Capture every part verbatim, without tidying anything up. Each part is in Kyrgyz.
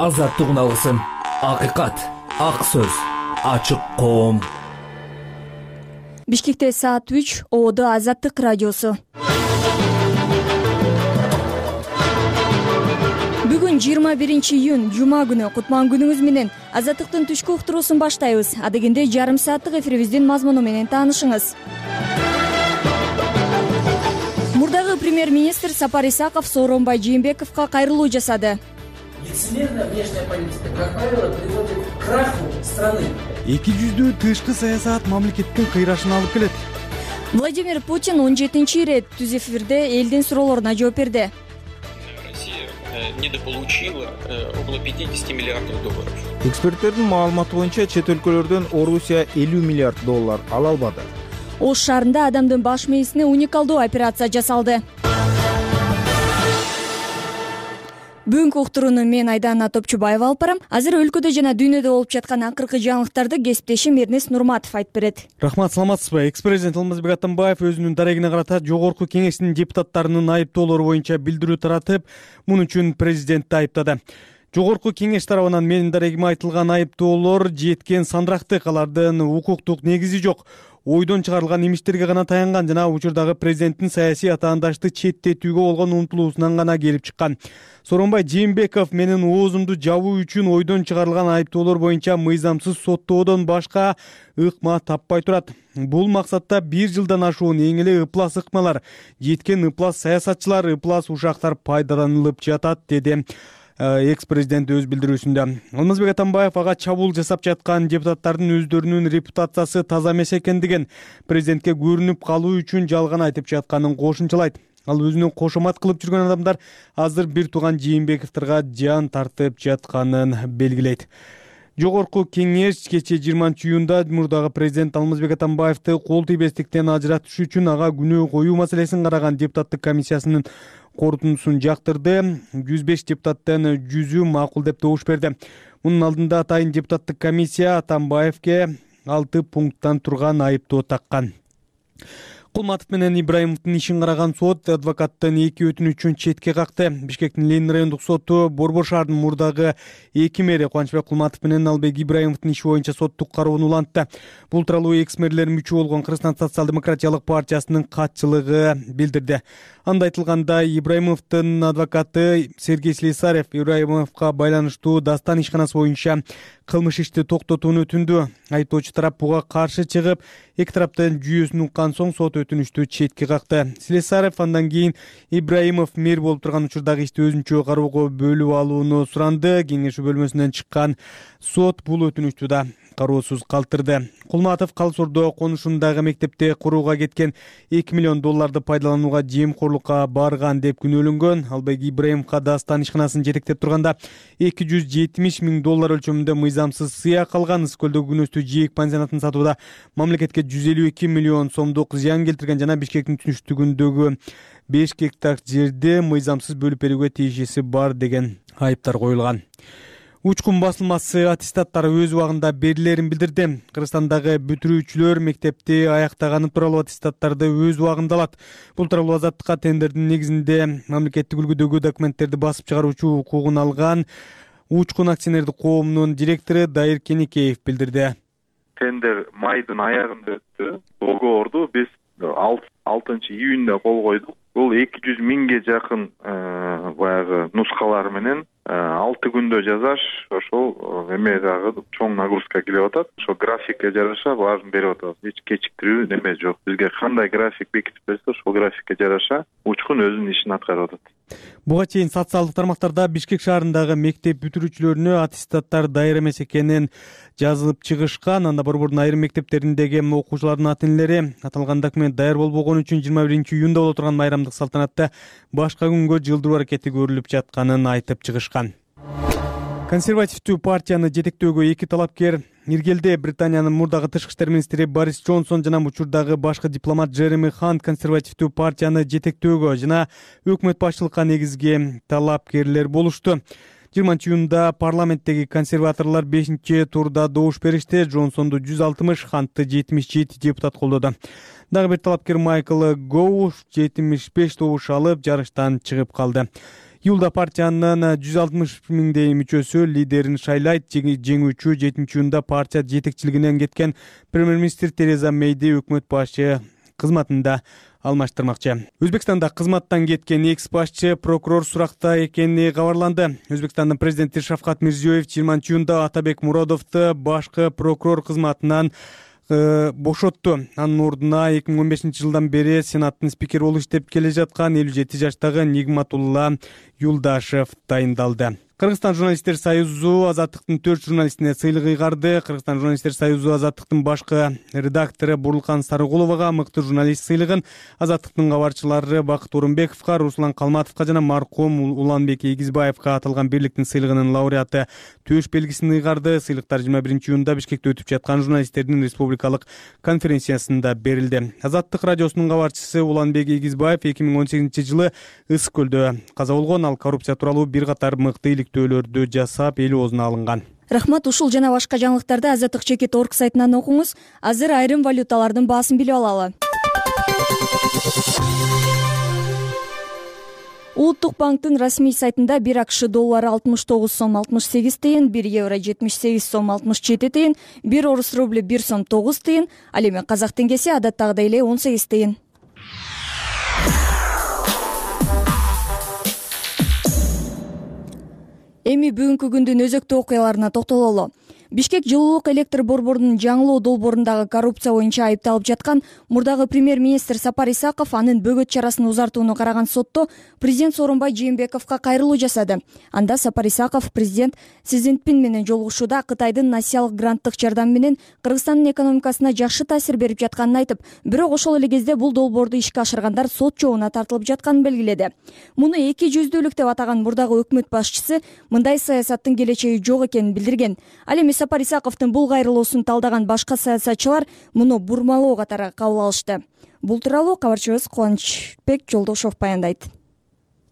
азаттык алсын. Акыйкат, ак сөз, ачык коом. Бишкекте саат үч, Ободо Азаттык радиосу. Бүгүн жыйырма биринчи июнь, жума күнү. Кутман күнүңүз менен Азаттыктын түшкү уктуруусун баштайбыз. Адегенде жарым сааттык эфирибиздин мазмуну менен таанышыңыз. Мурдагы премьер-министр Сапар Исаков Сооронбай Жээнбековго кайрылуу жасады. Лицемерная внешняя политика, как правило, приводит к краху страны. эки жүздүү тышкы саясат мамлекеттин кыйрашына алып келет. Владимир Путин он жетинчи ирет түз эфирде элдин суроолоруна жооп берди. Россия недополучила около пятьдесят миллиардов долларов. Эксперттердин маалыматы боюнча чет өлкөлөрдөн Орусия элүү миллиард доллар ала албады. Ош шаарында адамдын баш мээсине уникалдуу операция жасалды. Бүгүнкү уктурууну мен Айдана Топчубаева алып барам. Азыр өлкөдө жана дүйнөдө болуп жаткан акыркы жаңылыктарды кесиптешим Эрнест Нурматов айтып берет. Рахмат, саламатсызбы? Экс-президент Алмазбек Атамбаев өзүнүн дарегине карата Жогорку Кеңештин депутаттарынын айыптоолору боюнча билдирүү таратып, муну үчүн президентти айыптады. Жогорку Кеңеш тарабынан менин дарегиме айтылган айыптоолор жеткен сандырактык, алардын укуктук негизи жок. Ойдон чыгарылган имиштерге гана таянган жана учурдагы президенттин саясий атаандашты четтетүүгө болгон умтулуусунан гана келип чыккан. Сооронбай Жээнбеков менин оозумду жабуу үчүн ойдон чыгарылган айыптоолор боюнча мыйзамсыз соттоодон башка ыкма таппай турат. Бул максатта бир жылдан ашуун эң эле ыплас ыкмалар, жеткен ыплас саясатчылар, ыплас ушактар пайдаланылып жатат, деди экс-президент өз билдирүүсүндө. Алмазбек Атамбаев ага чабуул жасап жаткан депутаттардын өздөрүнүн репутациясы таза эмес экендигин, президентке көрүнүп калуу үчүн жалган айтып жатканын кошумчалайт. Ал өзүнө кошомат кылып жүргөн адамдар азыр бир тууган Жээнбековторго жан тартып жатканын белгилейт. Жогорку Кеңеш кечээ жыйырманчы июнда мурдагы президент Алмазбек Атамбаевди кол тийбестиктен ажыратыш үчүн ага күнөө коюу маселесин караган депутаттык комиссиясынын корутундусун жактырды. жүз беш депутаттын жүзү макул деп добуш берди. Мунун алдында атайын депутаттык комиссия Атамбаевге алты пункттан турган айыптоо таккан. Кулматов менен Ибраимовдун ишин караган сот адвокаттын эки өтүнүчүн четке какты. Бишкектин Ленин райондук соту Борбор шаарынын мурдагы эки мэри Кубанычбек Кулматов менен Албек Ибраимовдун иши боюнча соттук кароону улантты. Бул тууралуу экс-мэрлер мүчө болгон Кыргызстан социал-демократиялык партиясынын катчылыгы билдирди. Анда айтылганда, Ибраимовдун адвокаты Сергей Слесарев Ибраимовго байланыштуу Дастан ишканасы боюнча кылмыш ишти токтотууну өтүндү. Айыптоочу тарап буга каршы чыгып, эки тараптын жүйөсүн уккан соң сот өтүнүштү четке какты. Слесарев андан кийин Ибраимов мэр болуп турган учурдагы ишти өзүнчө кароого бөлүп алууну суранды. Кеңешүү бөлмөсүнөн чыккан сот бул өтүнүштү да кароосуз калтырды. Кулматов Калсордо конушундагы мектепте курууга кеткен эки миллион долларды пайдаланууга жемкорлукка барган деп күнөөлөнгөн. Албек Ибраимовго Дастан ишканасын жетектеп турганда эки жүз жетимиш миң доллар өлчөмүндө мыйзамсыз сыя калган. Ысыкөлдөгү күнөстүү жээк пансионатын сатууда мамлекетке жүз элүү эки миллион сомдук зыян келтирген жана Бишкектин түштүгүндөгү беш гектар жерди мыйзамсыз бөлүп берүүгө тиешеси бар деген айыптар коюлган. Учкун басылмасы аттестаттары өз убагында берилерин билдирди. Кыргызстандагы бүтүрүүчүлөр мектепти аяктаганы тууралуу аттестаттарды өз убагында алат. Бул тууралуу Азаттыкка тендердин негизинде мамлекеттик үлгүдөгү документтерди басып чыгаруучу укугун алган Учкун акционердик коомунун директору Дайыр Кенекеев билдирди. Тендер майдын аягында өттү. Договорду биз алтынчы июнда кол койдук. Бул эки жүз миңге жакын баягы нускалар менен алты күндө жазаш ошол эме дагы чоң нагрузка келип атат. Ошо графикке жараша баарын берип атабыз. Эч кечиктирүү неме жок. Бизге кандай график бекитип берсе, ошол графикке жараша Учкун өзүнүн ишин аткарып атат. Буга чейин социалдык тармактарда Бишкек шаарындагы мектеп бүтүрүүчүлөрүнө аттестаттар дайыр эмес экенин жазылып чыгышкан. Анда Борбордун айрым мектептериндеги окуучулардын ата-энелери аталган документ дайыр болбогон үчүн жыйырма биринчи июнда боло турган майрамдык салтанатты башка күнгө жылдыруу аракети көрүлүп жатканын айтып чыгышкан. Консервативдүү партияны жетектөөгө эки талапкер иргелди. Британиянын мурдагы тышкы иштер министри Борис Джонсон жана учурдагы башкы дипломат Джереми Хант консервативдүү партияны жетектөөгө жана өкмөт башчылыкка негизги талапкерлер болушту. жыйырманчы июнда парламенттеги консерваторлор бешинчи турда добуш беришти. Джонсонду жүз алтымыш, Хантты жетимиш жети депутат колдоду. Дагы бир талапкер Майкл Гоу жетимиш беш добуш алып жарыштан чыгып калды. Июлда партиянын жүз алтымыш миңдей мүчөсү лидерин шайлайт. Жеңүүчү жетинчи июнда партия жетекчилигинен кеткен премьер-министр Тереза Мейди өкмөт башчы кызматында алмаштырмакчы. Өзбекстанда кызматтан кеткен экс башчы прокурор суракта экени кабарланды. Өзбекстандын президенти Шавкат Мирзиёев жыйырманчы июнда Атабек Муродовду башкы прокурор кызматынан бошотту. Анын ордуна эки миң он бешинчи жылдан бери Сенаттын спикери болуп иштеп келе жаткан элүү жети жаштагы Нигматулла Юлдашев дайындалды. Кыргызстан журналисттер союзу Азаттыктын төрт журналистине сыйлык ыйгарды. Кыргызстан журналисттер союзу Азаттыктын башкы редактору Бурлкан Сарыгуловага мыкты журналист сыйлыгын, Азаттыктын кабарчылары Бакыт Орунбековго, Руслан Калматовго жана маркум Уланбек Эгизбаевга аталган бирликтин сыйлыгынын лауреаты Төш белгисин ыйгарды. Сыйлыктар жыйырма биринчи июнда Бишкекте өтүп жаткан журналисттердин республикалык конференциясында берилди. Азаттык радиосунун кабарчысы Уланбек Эгизбаев эки миң он сегизинчи жылы Ысык көлдө каза болгон. Ал коррупция тууралуу бир катар мыкты иликтөөлөрдү жасап, эл оозуна алынган. Рахмат. Ушул жана башка жаңылыктарды Азаттык чекит орг сайтынан окуңуз. Азыр айрым валюталардын баасын билип алалы. Улуттук банктын расмий сайтында бир АКШ доллары алтымыш тогуз сом алтымыш сегиз тыйын, бир евро жетимиш сегиз сом алтымыш жети тыйын, бир орус рубль бир сом тогуз тыйын, ал эми казак теңгеси адаттагыдай эле он сегиз тыйын. Эми бүгүнкү күндүн өзөктүү окуяларына токтололу. Бишкек жылуулук электр борборунун жаңылоо долбоорундагы коррупция боюнча айыпталып жаткан мурдагы премьер-министр Сапар Исаков анын бөгөт чарасын узартууну караган сотто президент Сооронбай Жээнбековго кайрылуу жасады. Анда Сапар Исаков президент Си Цзиньпин менен жолугушууда Кытайдын насиялык гранттык жардам менен Кыргызстандын экономикасына жакшы таасир берип жатканын айтып, бирок ошол эле кезде бул долбоорду ишке ашыргандар сот жообуна тартылып жатканын белгиледи. Муну эки жүздүүлүк деп атаган мурдагы өкмөт башчысы мындай саясаттын келечеги жок экенин билдирген. Ал эми Сапар Исаковдун бул кайрылуусун талдаган башка саясатчылар муну бурмалоо катары кабыл алышты. Бул тууралуу кабарчыбыз Кубанычбек Жолдошов баяндайт.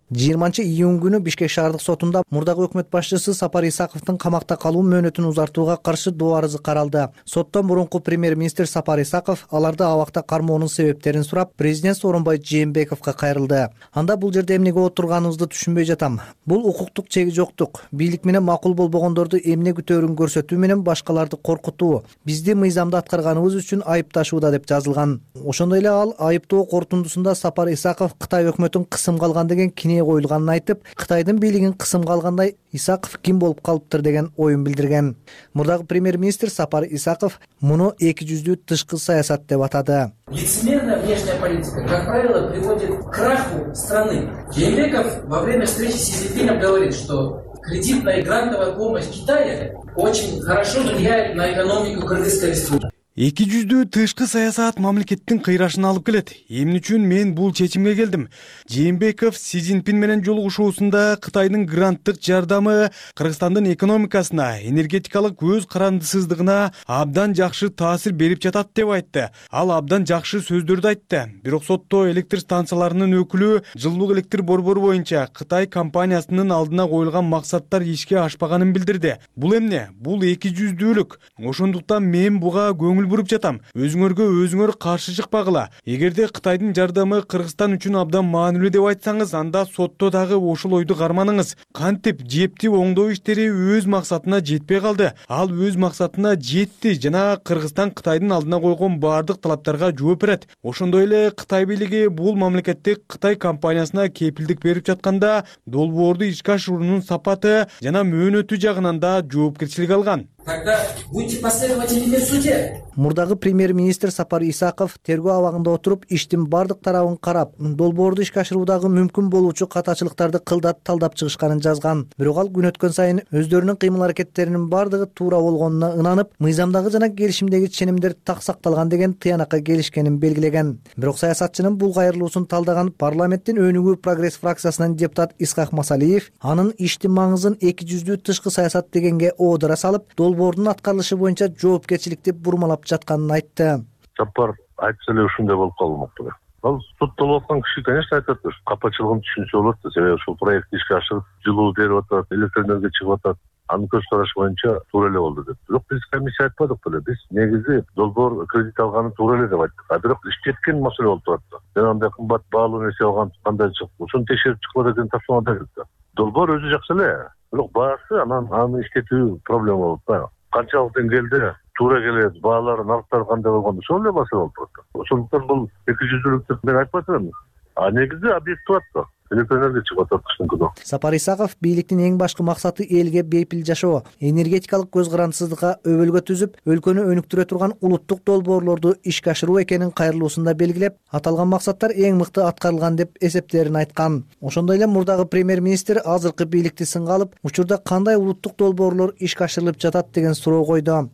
жыйырманчы июнь күнү Бишкек шаардык сотунда мурдагы өкмөт башчысы Сапар Исаковдун камакта калуу мөөнөтүн узартууга каршы доо арызы каралды. Соттон мурунку премьер-министр Сапар Исаков аларды абакта кармоонун себептерин сурап, президент Сооронбай Жээнбековго кайрылды. Анда бул жерде эмнеге отурганыбызды түшүнбөй жатам. Бул укуктук чеги жоктук. Бийлик менен макул болбогондорду эмне күтөөрүн көрсөтүү менен башкаларды коркутуу, бизди мыйзамда аткарганыбыз үчүн айыпташууда деп жазылган. Ошондой эле ал айыптоо корутундусунда Сапар Исаков Кытай өкмөтүн кысымга алган деген кине коюлганын айтып, Кытайдын бийлигин кысымга алгандай Исаков ким болуп калыптыр деген оюн билдирген. Мурдагы премьер-министр Сапар Исаков муну эки жүздүү тышкы саясат деп атады. Лицемерная внешняя политика, как правило, приводит к краху страны. Жээнбеков во время встречи с Си Цзиньпином говорит, что кредитная и грантовая помощь Китая очень хорошо влияет на экономику Кыргызской республики. эки жүздүү тышкы саясат мамлекеттин кыйрашын алып келет. Эмне үчүн мен бул чечимге келдим? Жээнбеков Си Цзиньпин менен жолугушуусунда Кытайдын гранттык жардамы Кыргызстандын экономикасына, энергетикалык өз карандысыздыгына абдан жакшы таасир берип жатат деп айтты. Ал абдан жакшы сөздөрдү айтты. Бирок сотто электр станцияларынын өкүлү жылуулук электр борбору боюнча Кытай компаниясынын алдына коюлган максаттар ишке ашпаганын билдирди. Бул эмне? Бул эки жүздүүлүк. Ошондуктан мен буга көңүл буруп жатам. Өзүңөргө өзүңөр каршы чыкпагыла. Эгерде Кытайдын жардамы Кыргызстан үчүн абдан маанилүү деп айтсаңыз, анда сотто дагы ошол ойду карманыңыз. Кантип жептип оңдоо иштери өз максатына жетпей калды. Ал өз максатына жетти жана Кыргызстан Кытайдын алдына койгон баардык талаптарга жооп берет. Ошондой эле Кытай бийлиги бул мамлекеттик Кытай компаниясына кепилдик берип жатканда долбоорду ишке ашыруунун сапаты жана мөөнөтү жагынан да жоопкерчилик алган. Тогда будьте последовательными в суде. Мурдагы премьер-министр Сапар Исаков тергөө абагында отуруп, иштин бардык тарабын карап, долбоорду ишке ашыруудагы мүмкүн болуучу катачылыктарды кылдат талдап чыгышканын жазган. Бирок ал күн өткөн сайын өздөрүнүн кыймыл-аракеттеринин бардыгы туура болгонуна ынанып, мыйзамдагы жана келишимдеги ченемдер так сакталган деген тыянакка келишкенин белгилеген. Бирок саясатчынын бул кайрылуусун талдаган парламенттин өнүгүү прогресс фракциясынын депутат Исхак Масалиев анын иштин маңызын эки жүздүү тышкы саясат дегенге оодура салып, долбоордун аткарылышы боюнча жоопкерчиликти бурмалап жатканын айтты. Сапар айтса эле ушундай болуп калмакты. Ал соттолуп аткан киши, конечно, айтат, капачылыгын түшүнсө болот, себеби ушул проектти ишке ашырып, жылуу берип атат, электр энергия чыгып атат. Анын көз карашы боюнча туура эле болду деп. Бирок биз комиссия айтпадык беле. Биз негизи долбоор кредит алганы туура эле деп айттык. А бирок иштеткен маселе болуп турат. Жана андай кымбат баалуу нерсе алган кандай чыкты? Ошону текшерип чыккыла деген тапшырма берилди. долбоор өзү жакшы эле, бирок баасы анан аны иштетүү проблема болот да. Канчалык деңгээлде туура келет, баалар, нарыктар кандай болгондо ошол эле маселе болуп турат. Ошондуктан бул эки жүздүүлүк деп мен айтпай турам. А негизи объект турат да. Электроэнергия чыгып атат кыштын күнү. Сапар Исаков бийликтин эң башкы максаты элге бейпил жашоо, энергетикалык көз карандысыздыкка өбөлгө түзүп, өлкөнү өнүктүрө турган улуттук долбоорлорду ишке ашыруу экенин кайрылуусунда белгилеп, аталган максаттар эң мыкты аткарылган деп эсептерин айткан. Ошондой эле мурдагы премьер-министр азыркы бийликти сынга алып, учурда кандай улуттук долбоорлор ишке ашырылып жатат деген суроо койду.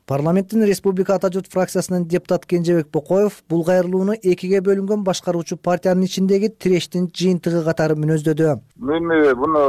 Парламенттин Республика Ата журт фракциясынын депутат Кенжебек Бокоев бул кайрылууну экиге бөлүнгөн башкаруучу партиянын ичиндеги тирештин жыйынтыгы катары мүнөздөдү. Мен буну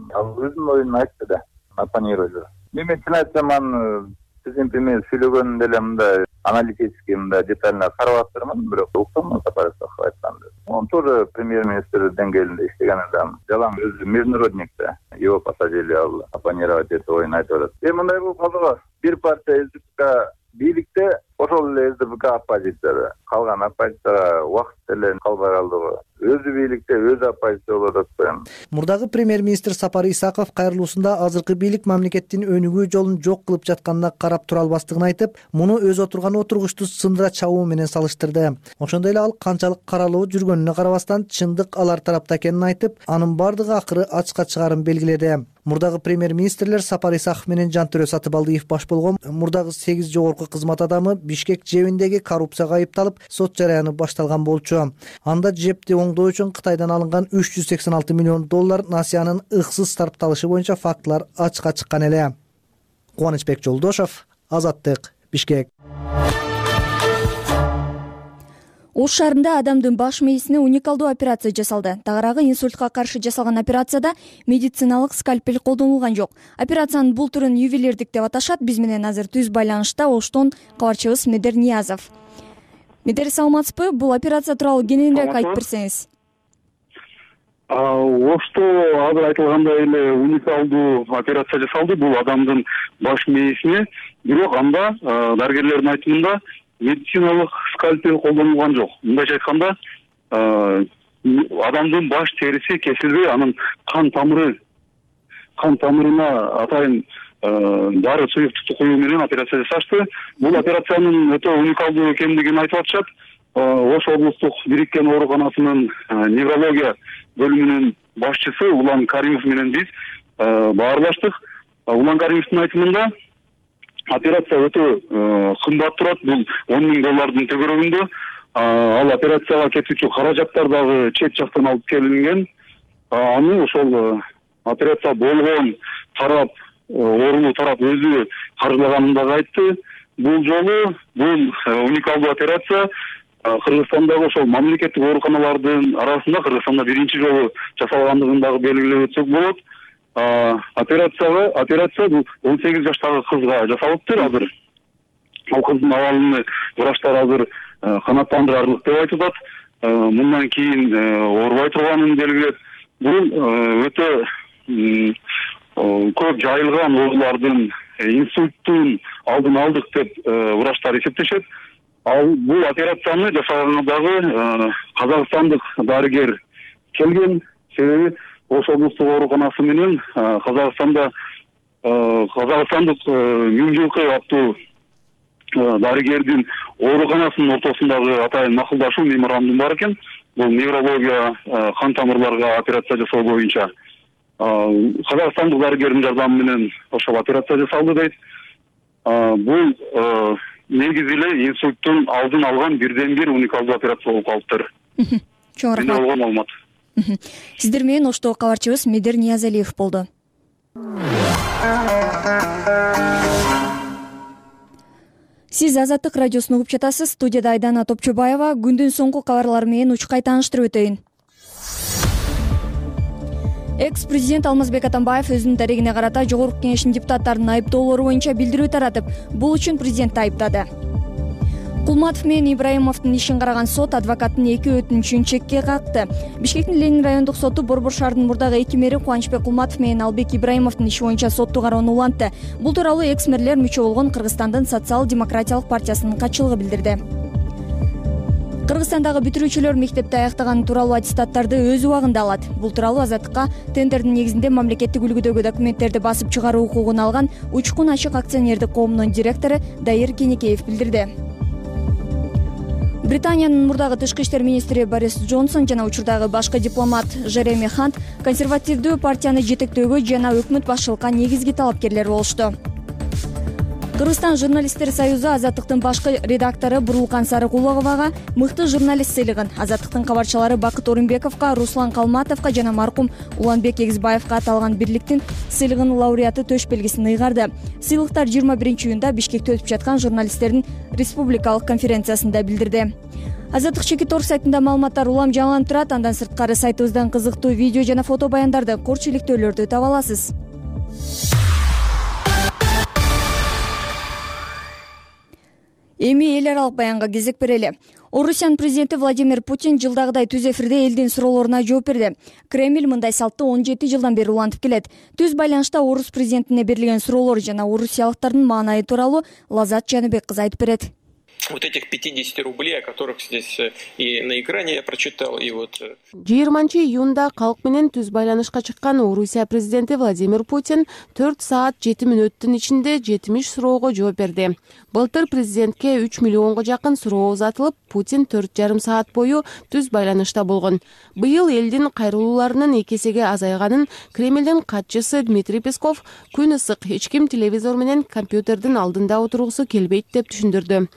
өзүмдүн оюн айтты да, оппонировали. Мен чын айтсам, аны президент эме сүйлөгөн деле мындай аналитический мындай детально карап атырмын, бирок уктум Сапар Исаков айтканды. Он тоже премьер-министр деңгээлинде иштеген адам. Жалаң өзү международник да. Его посадили, ал оппонировать этип оюн айтып атат. Эми мындай болуп калды. Бир партия СДПК бийликте, ошол эле СДПК оппозицияда. Калган оппозицияга убакыт деле калбай калды го. Өзү бийликте, өзү оппозиция болуп атат. Мурдагы премьер-министр Сапар Исаков кайрылуусунда азыркы бийлик мамлекеттин өнүгүү жолун жок кылып жатканына карап тура албастыгын айтып, муну өзү отурган отургучту сындыра чабуу менен салыштырды. Ошондой эле ал канчалык каралуу жүргөнүнө карабастан чындык алар тарапта экенин айтып, анын бардыгы акыры ачыкка чыгарын белгиледи. Мурдагы премьер-министрлер Сапар Исаков менен Жантөрө Сатыбалдиев баш болгон мурдагы сегиз жогорку кызмат адамы Бишкек жебиндеги коррупцияга айыпталып, сот жараяны башталган болчу. Анда жепти оңдоо үчүн Кытайдан алынган үч жүз сексен алты миллион доллар насыянын ыксыз сарпталышы боюнча фактылар ачыкка чыккан эле. Кубанычбек Жолдошов, Азаттык, Бишкек. Ош шаарында адамдын баш мээсине уникалдуу операция жасалды. Тагыраагы инсультка каршы жасалган операцияда медициналык скальпель колдонулган жок. Операциянын бул түрүн ювелирдик деп аташат. Биз менен азыр түз байланышта Оштон кабарчыбыз Медер Ниязов. Медер, саламатсызбы? Бул операция тууралуу кененирээк айтып берсеңиз. Ошто азыр айтылгандай эле уникалдуу операция жасалды. Бул адамдын баш мээсине, бирок анда дарыгерлердин айтымында медициналык скальпель колдонулган жок. Мындайча айтканда, адамдын баш териси кесилбей, анын кан тамыры, кан тамырына атайын дары суюктукту коюу менен операция жасашты. Бул операциянын өтө уникалдуу экендигин айтып атышат. Ош облустук бириккен ооруканасынын неврология бөлүмүнүн башчысы Улан Каримов менен биз баарлаштык. Улан Каримовдун айтымында операция өтө кымбат турат. Бул он миң доллардын төгөрөгүндө. Ал операцияга кетүүчү каражаттар дагы чет жактан алып келинген. Аны ошол операция болгон тарап, оорулуу тарап өзү каржылаганын дагы айтты. Бул жолу бул уникалдуу операция Кыргызстандагы ошол мамлекеттик ооруканалардын арасында Кыргызстанда биринчи жолу жасалгандыгын дагы белгилеп өтсөк болот. Операцияга операция бул он сегиз жаштагы кызга жасалыптыр азыр. Ал кыздын абалын врачтар азыр канааттандырарлык деп айтып атат. Мындан кийин оорубай турганын белгилеп, бул өтө көп жайылган оорулардын инсульттун алдын алдык деп врачтар эсептешет. Ал бул операцияны жасаганга дагы казакстандык дарыгер келген. Себеби Ош облустук ооруканасы менен Казакстанда казакстандык миң жылкы аттуу дарыгердин ооруканасынын ортосундагы атайын макулдашуу меморандум бар экен. Бул неврология, кан тамырларга операция жасоо боюнча. Казакстандык дарыгердин жардамы менен ошол операция жасалды дейт. Бул негизи эле инсульттун алдын алган бирден бир уникалдуу операция болуп калыптыр. Чоң рахмат. Менде болгон маалымат. Сиздер менен Оштогу кабарчыбыз Медер Ниязалиев болду. Сиз Азаттык радиосун угуп жатасыз. Студияда Айдана Топчубаева. Күндүн соңку кабарлары менен учкай тааныштырып өтөйүн. Экс-президент Алмазбек Атамбаев өзүнүн дарегине карата Жогорку Кеңештин депутаттарынын айыптоолору боюнча билдирүү таратып, бул үчүн президентти айыптады. Кулматов менен Ибраимовдун ишин караган сот адвокаттын эки өтүнүчүн чекке какты. Бишкектин Ленин райондук соту Борбор шаарынын мурдагы эки мэри Кубанычбек Кулматов менен Албек Ибраимовдун иши боюнча соттуу кароону улантты. Бул тууралуу экс-мэрлер мүчө болгон Кыргызстандын социал-демократиялык партиясынын катчылыгы билдирди. Кыргызстандагы бүтүрүүчүлөр мектепти аяктаганы тууралуу аттестаттарды өз убагында алат. Бул тууралуу Азаттыкка тендердин негизинде мамлекеттик үлгүдөгү документтерди басып чыгаруу укугун алган Учкун ачык акционердик коомунун директору Дайыр Кенекеев билдирди. Британиянын мурдагы тышкы иштер министри Борис Джонсон жана учурдагы башкы дипломат Жереми Хант консервативдүү партияны жетектөөгө жана өкмөт башчылыкка негизги талапкерлер болушту. Кыргызстан журналисттер союзу Азаттыктын башкы редактору Бурулкан Сарыкуловага мыкты журналист сыйлыгын, Азаттыктын кабарчылары Бакыт Орунбековго, Руслан Калматовго жана маркум Уланбек Эгизбаевга аталган бирликтин сыйлыгынын лауреаты төш белгисин ыйгарды. Сыйлыктар жыйырма биринчи июнда Бишкекте өтүп жаткан журналисттердин республикалык конференциясында билдирди. Азаттык Чекит орг сайтында маалыматтар улам жаңыланып турат. Андан сырткары сайтыбыздан кызыктуу видео жана фото баяндарды, корч иликтөөлөрдү таба аласыз. Эми эл аралык баянга кезек берели. Орусиянын президенти Владимир Путин жылдагыдай түз эфирде элдин суроолоруна жооп берди. Кремль мындай салтты он жети жылдан бери улантып келет. Түз байланышта орус президентине берилген суроолор жана орусиялыктардын маанайы тууралуу Лазат Жаныбек кызы айтып берет. Вот этих пятьдесят рублей, о которых здесь и на экране я прочитал, и вот... жыйырманчы июнда калк менен түз байланышка чыккан Орусия президенти Владимир Путин төрт саат жети мүнөттүн ичинде жетимиш суроого жооп берди. Былтыр президентке үч миллионго жакын суроо узатылып, Путин төрт жарым саат бою түз байланышта болгон. Быйыл элдин кайрылууларынын эки эсеге азайганын Кремлдин катчысы Дмитрий Песков күн ысык, эч ким телевизор менен компьютердин алдында отургусу келбейт деп түшүндүрдү.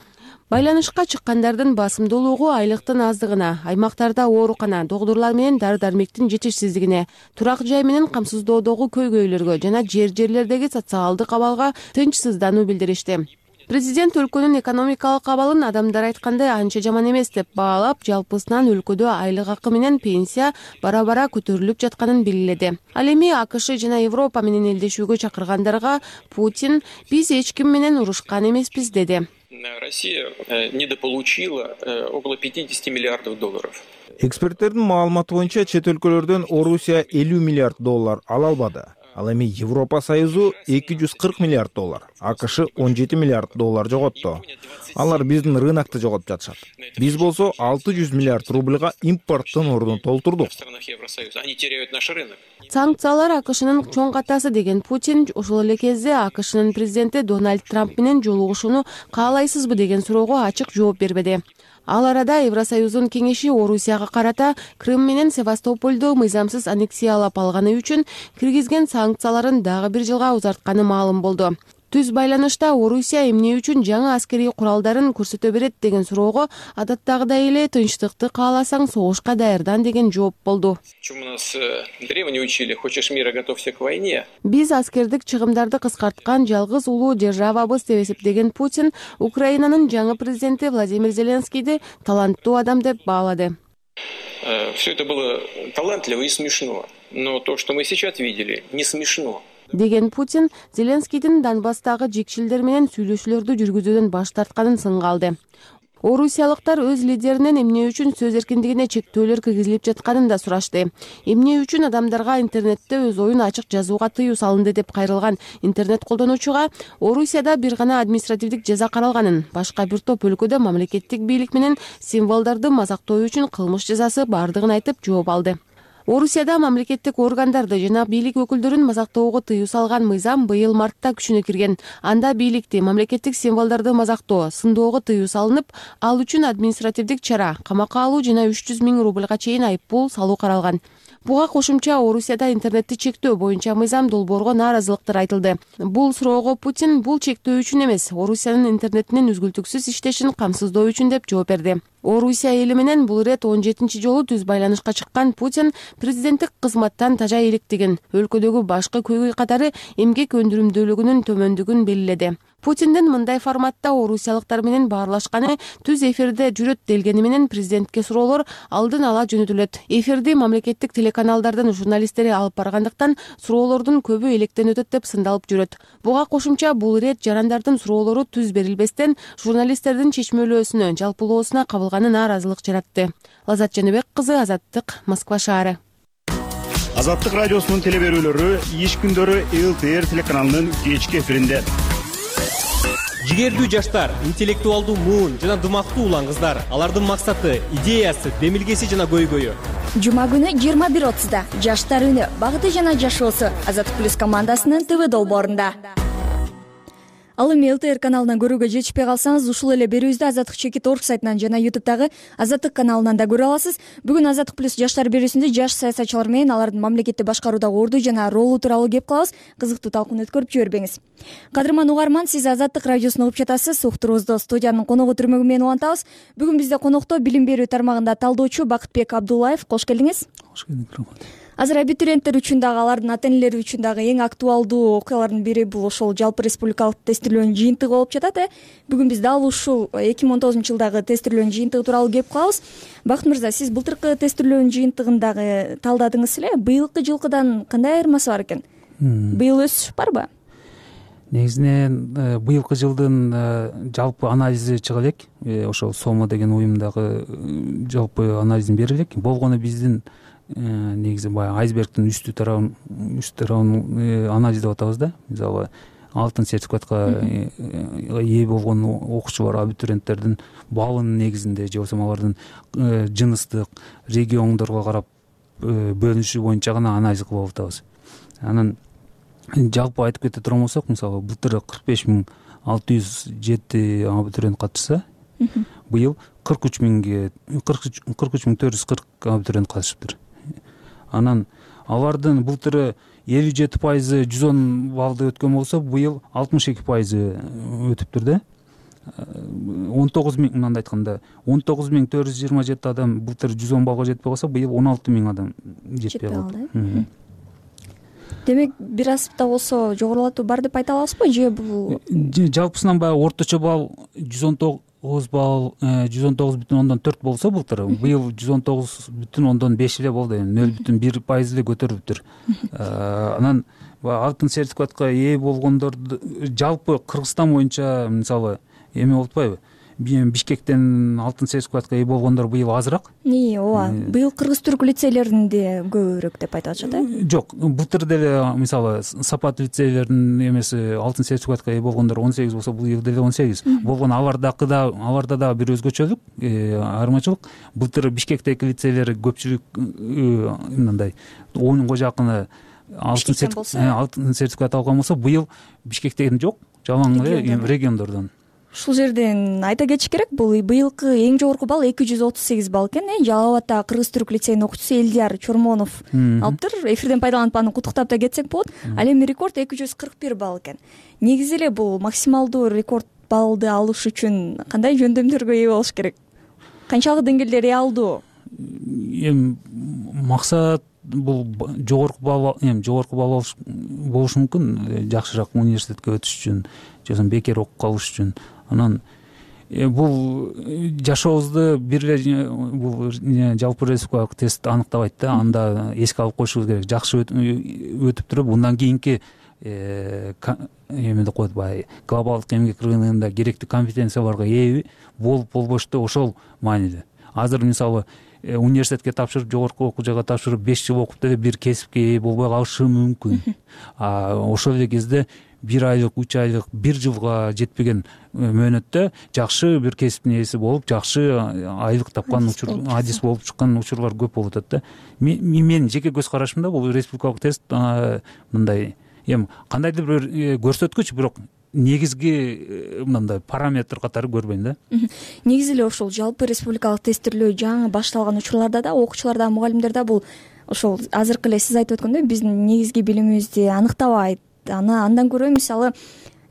Байланышка чыккандардын басымдуулугу айлыктын аздыгына, аймактарда оорукана, доктурлар менен дары-дармектин жетишсиздигине, турак жай менен камсыздоодогу көйгөйлөргө жана жер-жерлердеги социалдык абалга тынчсыздануу билдиришти. Президент өлкөнүн экономикалык абалын адамдар айткандай анча жаман эмес деп баалап, жалпысынан өлкөдө айлык акы менен пенсия бара-бара көтөрүлүп жатканын белгиледи. Ал эми АКШ жана Европа менен элдешүүгө чакыргандарга Путин биз эч ким менен урушкан эмеспиз деди. Россия недополучила около пятьдесят миллиардов долларов. Эксперттердин маалыматы боюнча чет өлкөлөрдөн Орусия элүү миллиард доллар ала албады. Ал эми Европа Союзу эки жүз кырк миллиард доллар, АКШ он жети миллиард доллар жоготту. Алар биздин рынокто жоготуп жатышат. Биз болсо алты жүз миллиард рубльга импорттун ордун толтурдук. Они теряют наш рынок. Санкциялар АКШнын чоң катасы деген Путин ошол эле кезде АКШнын президенти Дональд Трамп менен жолугушууну каалайсызбы деген суроого ачык жооп бербеди. Ал арада Евросоюздун кеңеши Орусияга карата Крым менен Севастопольду мыйзамсыз аннексиялап алганы үчүн киргизген санкцияларын дагы бир жылга узартканы маалым болду. Түз байланышта Орусия эмне үчүн жаңы аскерий куралдарын көрсөтө берет деген суроого адаттагыдай эле тынчтыкты кааласаң согушка даярдан деген жооп болду. Чему нас древние учили: хочешь мира, готовься к войне. Биз аскердик чыгымдарды кыскарткан жалгыз улуу державабыз деп эсептеген Путин Украинанын жаңы президенти Владимир Зеленскийди таланттуу адам деп баалады. Все это было талантливо и смешно, но то, что мы сейчас видели, не смешно. Деген Путин Зеленскийдин Донбасстагы жекшилдер менен сүйлөшүүлөрдү жүргүзүүдөн баш тартканын сынга алды. Орусиялыктар өз лидеринен эмне үчүн сөз эркиндигине чектөөлөр киргизилип жатканын да сурашты. Эмне үчүн адамдарга интернетте өз оюн ачык жазууга тыюу салынды деп кайрылган интернет колдонуучуга Орусияда бир гана административдик жаза каралганын, башка бир топ өлкөдө мамлекеттик бийлик менен символдорду мазактоо үчүн кылмыш жазасы бардыгын айтып жооп алды. Орусияда мамлекеттик органдарды жана бийлик өкүлдөрүн мазактоого тыюу салган мыйзам быйыл мартта күчүнө кирген. Анда бийликти, мамлекеттик символдорду мазактоо, сындоого тыюу салынып, ал үчүн административдик чара, камакка алуу жана үч жүз миң рубльга чейин айыппул салуу каралган. Буга кошумча Орусияда интернетти чектөө боюнча мыйзам долбоорго нааразылыктар айтылды. Бул суроого Путин бул чектөө үчүн эмес, Орусиянын интернетинин үзгүлтүксүз иштешин камсыздоо үчүн деп жооп берди. Орусия эли менен бул ирет он жетинчи жолу түз байланышка чыккан Путин президенттик кызматтан тажа электигин, өлкөдөгү башкы көйгөй катары эмгек өндүрүмдүүлүгүнүн төмөндүгүн белгиледи. Путиндин мындай форматта орусиялыктар менен баарлашканы түз эфирде жүрөт делгени менен президентке суроолор алдын ала жөнөтүлөт. Эфирди мамлекеттик телеканалдардын журналисттери алып баргандыктан суроолордун көбү электен өтөт деп сындалып жүрөт. Буга кошумча бул ирет жарандардын суроолору түз берилбестен журналисттердин чечмелөөсүнө, жалпылоосуна кабылганы нааразылык жаратты. Лазат Жаныбек кызы, Азаттык, Москва шаары. Азаттык радиосунун телеберүүлөрү иш күндөрү эл тэ эр телеканалынын кечки эфиринде. Жигердүү жаштар, интеллектуалдуу муун жана дымактуу улан кыздар. Алардын максаты, идеясы, демилгеси жана көйгөйү. Жума күнү жыйырма бир отузда Жаштар үнү, багыты жана жашоосу Азаттык плюс командасынын ТВ долбоорунда. Ал эми эл тэ эр каналынан көрүүгө жетишпей калсаңыз, ушул эле берүүбүздү Азаттык чекит точка орг сайтынан жана ютубтагы Азаттык каналынан да көрө аласыз. Бүгүн Азаттык плюс жаштар берүүсүндө жаш саясатчылар менен алардын мамлекетти башкаруудагы орду жана ролу тууралуу кеп кылабыз. Кызыктуу талкууну өткөрүп жибербеңиз. Кадырман угарман, сиз Азаттык радиосун угуп жатасыз. Уктуруубузду студиянын коногу түрмөгү менен улантабыз. Бүгүн бизде конокто билим берүү тармагында талдоочу Бакытбек Абдуллаев. Кош келдиңиз. Кош келдик. Азыр абитуриенттер үчүн дагы, алардын ата-энелери үчүн дагы эң актуалдуу окуялардын бири бул ошол жалпы республикалык тестирлөөнүн жыйынтыгы болуп жатат. э Бүгүн биз дал ушул эки миң он тогузунчу жылдагы тестирлөөнүн жыйынтыгы тууралуу кеп калабыз. Бакыт мырза, сиз былтыркы тестирлөөнүн жыйынтыгын дагы талдадыңыз эле. Быйылкы жылкыдан кандай айырмасы бар экен? Быйыл өсүш барбы? Негизинен быйылкы жылдын жалпы анализи чыга элек. Ошол СОМО деген уюмдагы жалпы анализин бере элек. Болгону биздин негизи баягы айсбергдин үстү тарабын үстү тарабын анализдеп атабыз да. Мисалы алтын сертификатка ээ болгон окуучулар, абитуриенттердин баллынын негизинде же болбосо алардын жыныстык региондорго карап бөлүнүшү боюнча гана анализ кылып атабыз. Анан жалпы айтып кете турган болсок, мисалы былтыр кырк беш миң алты жүз жети абитуриент катышса, быйыл кырк үч миңге кырк үч миң төрт жүз кырк абитуриент катышыптыр. Анан алардын былтыры элүү жети пайызы жүз он баллды өткөн болсо, быйыл алтымыш эки пайызы өтүптүр да. он тогуз миң, мындай айтканда, он тогуз миң төрт жүз жыйырма жети адам былтыр жүз он баллга жетпей калса, быйыл он алты миң адам жетпей калды. Демек, бир аз да болсо жогорулатуу бар деп айта аласызбы, же бул жалпысынан баягы орточо балл жүз он тогуз балл, жүз он тогуз бүтүн ондон төрт болсо былтыр, быйыл жүз он тогуз бүтүн ондон беш эле болду, нөл бүтүн бир пайыз эле көтөрүлүптүр. Анан алтын сертификатка ээ болгондорду жалпы Кыргызстан боюнча, мисалы, эме болуп атпайбы? Бишкектен алтын сертификатка ээ болгондор быйыл азыраак. Ооба, быйыл кыргыз-түрк лицейлеринде көбүрөөк деп айтып атышат, э? Жок, былтыр деле мисалы Сапат лицейлеринин эмеси алтын сертификатка ээ болгондор он сегиз болсо, быйыл деле он сегиз. Болгон алардакы да, аларда дагы бир өзгөчөлүк, айырмачылык. Былтыр Бишкектеги лицейлер көпчүлүк мындай онго жакыны алтын сертификат алган болсо, быйыл Бишкектен жок, жалаң эле региондордон. Ушул жерден айта кетиш керек, бул быйылкы эң жогорку балл эки жүз отуз сегиз балл экен. Жалал Абадтагы Кыргыз-түрк лицейинин окуучусу Элдияр Чормонов алыптыр. Эфирден пайдаланып аны куттуктап да кетсек болот. Ал эми рекорд эки жүз кырк бир балл экен. Негизи эле бул максималдуу рекорд баллды алыш үчүн кандай жөндөмдөргө ээ болуш керек? Канчалык деңгээлде реалдуу? Эми максат бул жогорку балл, эми жогорку балл болушу мүмкүн, жакшыраак университетке өтүш үчүн, же болбосо бекер окуп калыш үчүн. Анан бул жашообузду бир эле бул жалпы республикалык тест аныктабайт да, анда эске алып коюшубуз керек. Жакшы өтүп туруп, мындан кийинки эме деп коет, баягы глобалдык эмгек рыногунда керектүү компетенцияларга ээ болуп болбошту, ошол маанилүү. Азыр мисалы университетке тапшырып, жогорку окуу жайга тапшырып, беш жыл окуп деле бир кесипке ээ болбой калышы мүмкүн. А ошол эле кезде бир айлык, үч айлык, бир жылга жетпеген мөөнөттө жакшы бир кесиптин ээси болуп, жакшы айлык тапкан учур, адис болуп чыккан учурлар көп болуп атат да. Менин жеке көз карашымда бул республикалык тест мындай эми кандайдыр бир көрсөткүч, бирок негизги мындай параметр катары көрбөйм да. Негизи эле ошол жалпы республикалык тестирлөө жаңы башталган учурларда да, окуучулар да, мугалимдер да бул ошол азыркы эле сиз айтып өткөндөй биздин негизги билимибизди аныктабайт. Аны андан көрө мисалы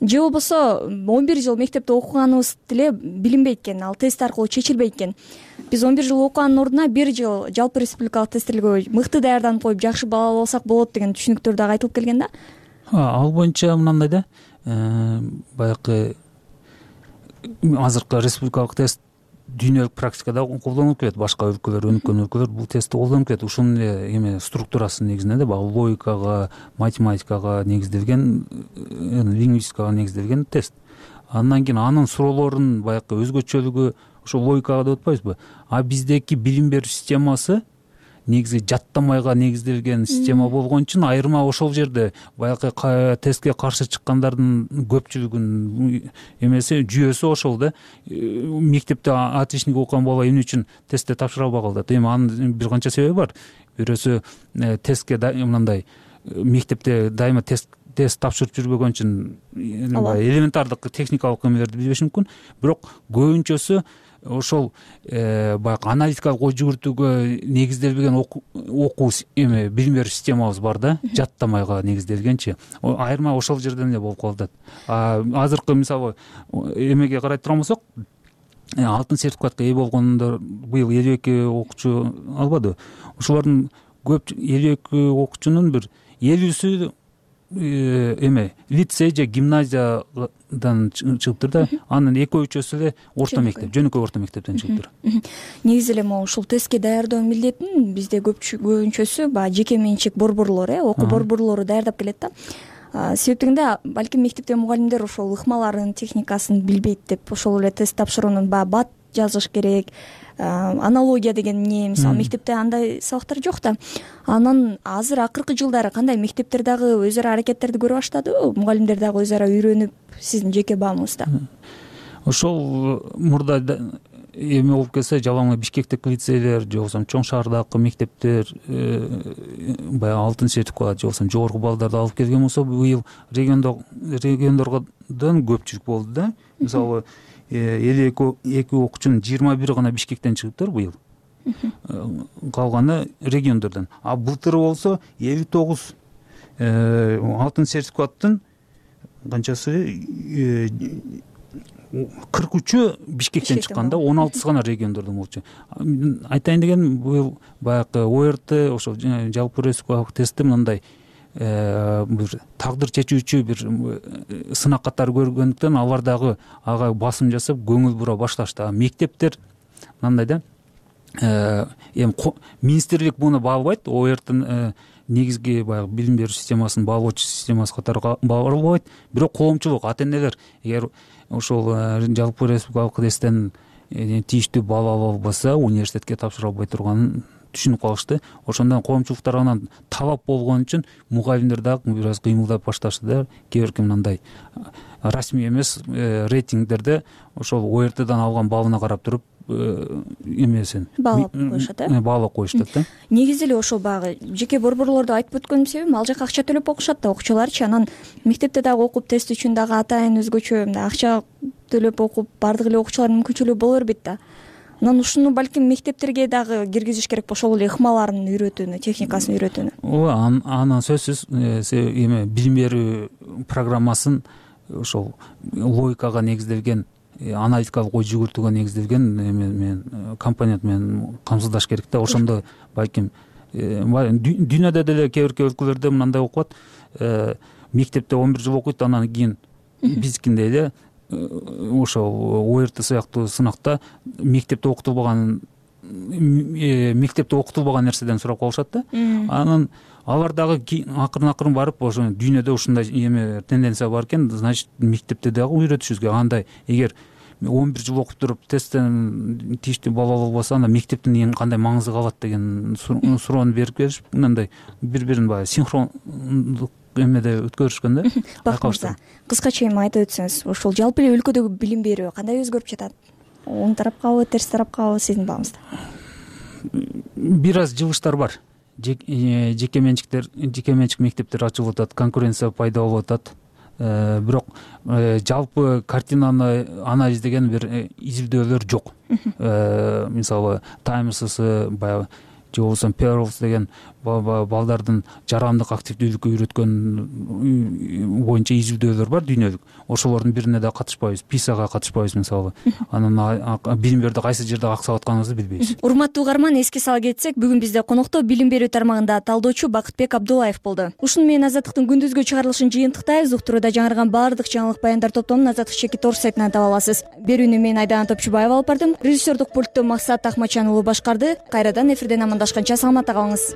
же болбосо он бир жыл мектепте окуганыбыз деле билинбейт экен, ал тест аркылуу чечилбейт экен. Биз он бир жыл окуганын ордуна бир жыл жалпы республикалык тестирлөөгө мыкты даярданып коюп, жакшы балл ала алсак болот деген түшүнүктөр дагы айтылып келген да. Ал боюнча мындай да, баягы азыркы республикалык тест дүйнөлүк практикада колдонулуп келет. Башка өлкөлөр, өнүккөн өлкөлөр бул тестти колдонуп келет. Ушунун эме структурасы негизинде да, баягы логикага, математикага негизделген, лингвистикага негизделген тест. Андан кийин анын суроолорунун баягы өзгөчөлүгү ошол логикага деп атпайбызбы? А биздеки билим берүү системасы негизи жаттамайга негизделген система болгон үчүн айырма ошол жерде баягы тестке каршы чыккандардын көпчүлүгүнүн эмеси жүйөсү ошол да. Мектепте отличник окуган бала эмне үчүн тестте тапшыра албай калат? Эми анын бир канча себеби бар. Бирөөсү тестке мындай мектепте дайыма тест тест тапшырып жүрбөгөн үчүн элементардык техникалык эмелерди билбеши мүмкүн. Бирок көбүнчөсү ошол баягы аналитикалык ой жүгүртүүгө негизделбеген окуу эме билим берүү системабыз бар да, жаттамайга негизделгенчи. Айырма ошол жерден эле болуп калып атат. Азыркы мисалы эмеге карай турган болсок, алтын сертификатка ээ болгондор быйыл элүү эки окуучу албады. Ошолордун көп элүү эки окуучунун бир элүүсү эме лицей же гимназиядан чыгыптыр да, анын экөө үчөөсү эле орто мектеп, жөнөкөй орто мектептен чыгыптыр. Негизи эле могу ушул тестке даярдоо милдетин бизде көбүнчөсү баягы жеке менчик борборлор, э окуу борборлору даярдап келет да. Себептигинде балким мектепте мугалимдер ошол ыкмаларын, техникасын билбейт деп ошол эле тест тапшыруунун баягы бат жазыш керек, аналогия деген эмне, мисалы мектепте андай сабактар жок да. Анан азыр акыркы жылдары кандай мектептер дагы өз ара аракеттерди көрө баштадыбы? Мугалимдер дагы өз ара үйрөнүп, сиздин жеке баамыңызда? Ошол мурда эме болуп келсе, жалаң Бишкектеги лицейлер же болбосо чоң шаардагы мектептер баягы алтын сертификат же болбосо жогорку баллдарды алып келген болсо, быйыл региондордон көпчүлүк болду да. Мисалы элүү эки окуучунун жыйырма бири гана Бишкектен чыгыптыр быйыл. Калганы региондордон. А былтыр болсо элүү тогуз алтын сертификаттын канчасы кырк үчү Бишкектен чыккан да, он алтысы гана региондордон болчу. Айтайын деген быйыл баягы о эр тэ ошол жалпы республикалык тестти мындай бир тагдыр чечүүчү бир сынак катары көргөндүктөн алар дагы ага басым жасап көңүл бура башташты. Мектептер мындай да, эми министрлик муну баалабайт, о эр тэ негизги баягы билим берүү системасын баалоочу системасы катары баалабайт, бирок коомчулук, ата энелер эгер ошол жалпы республикалык тесттен тийиштүү балл ала албаса, университетке тапшыра албай турганын түшүнүп калышты. Ошондон коомчулук тарабынан талап болгон үчүн мугалимдер дагы бир аз кыймылдап башташты да. Кээ бирки мындай расмий эмес рейтингдерде ошол о эр тэден алган баллына карап туруп эмесин баалап коюшат, э? Баалап коюштат да. Негизи эле ошол баягы жеке борборлорду айтып өткөнүм себебим, ал жака акча төлөп окушат да окуучуларчы. Анан мектепте дагы окуп тест үчүн дагы атайын өзгөчө мындай акча төлөп окуп бардык эле окуучулардын мүмкүнчүлүгү боло бербейт да. Анан ушуну балким мектептерге дагы киргизиш керек, ошол эле ыкмаларын үйрөтүүнү, техникасын үйрөтүүнү. Ооба, анан сөзсүз эме билим берүү программасын ошол логикага негизделген, аналитикалык ой жүгүртүүгө негизделген эме менен компонент менен камсыздаш керек да. Ошондо балким дүйнөдө деле кээ бирки өлкөлөрдө мындай окуп атат, мектепте он бир жыл окуйт, анан кийин биздикиндей эле ошол о эр тэ сыяктуу сынакта мектепте окутулбаган мектепте окутулбаган нерседен сурап калышат да. Анан алар дагы акырын акырын барып ошо дүйнөдө ушундай эме тенденция бар экен, значит мектепте дагы үйрөтүшүбүз керек. Андай эгер он бир жыл окуп туруп тесттен тийиштүү балл ала албаса, анда мектептин кандай маңызы калат деген суроону берип келишип, мындай бири бирин баягы синхрондук эмеде өткөрүшкөн да. Бакыт мырза, кыскача эми айтып өтсөңүз, ошол жалпы эле өлкөдөгү билим берүү кандай өзгөрүп жатат? Оң тарапкабы, терс тарапкабы сиздин баамыңызда? Бир аз жылыштар бар. Жеке менчиктер, жеке менчик мектептер ачылып атат, конкуренция пайда болуп атат. Бирок жалпы картинаны анализдеген бир изилдөөлөр жок. Мисалы Таймс баягы же болбосо Pearls деген балдардын жарандык активдүүлүккө үйрөткөн боюнча изилдөөлөр бар дүйнөлүк. Ошолордун бирине да катышпайбыз, писага катышпайбыз мисалы. Анан билим берүүдө кайсы жерде аксап атканыбызды билбейбиз. Урматтуу угарман, эске сала кетсек, бүгүн бизде конокто билим берүү тармагында талдоочу Бакытбек Абдуллаев болду. Ушуну менен Азаттыктын күндүзгү чыгарылышын жыйынтыктайбыз. Уктурууда жаңырган баардык жаңылык баяндар топтомун Азаттык чеки торс сайтынан таба аласыз. Берүүнү мен Айдана Топчубаева алып бардым. Режиссердук пультту Максат Ахматжанұлы башкарды. Кайрадан эфирден амандашканча саламатта калыңыз.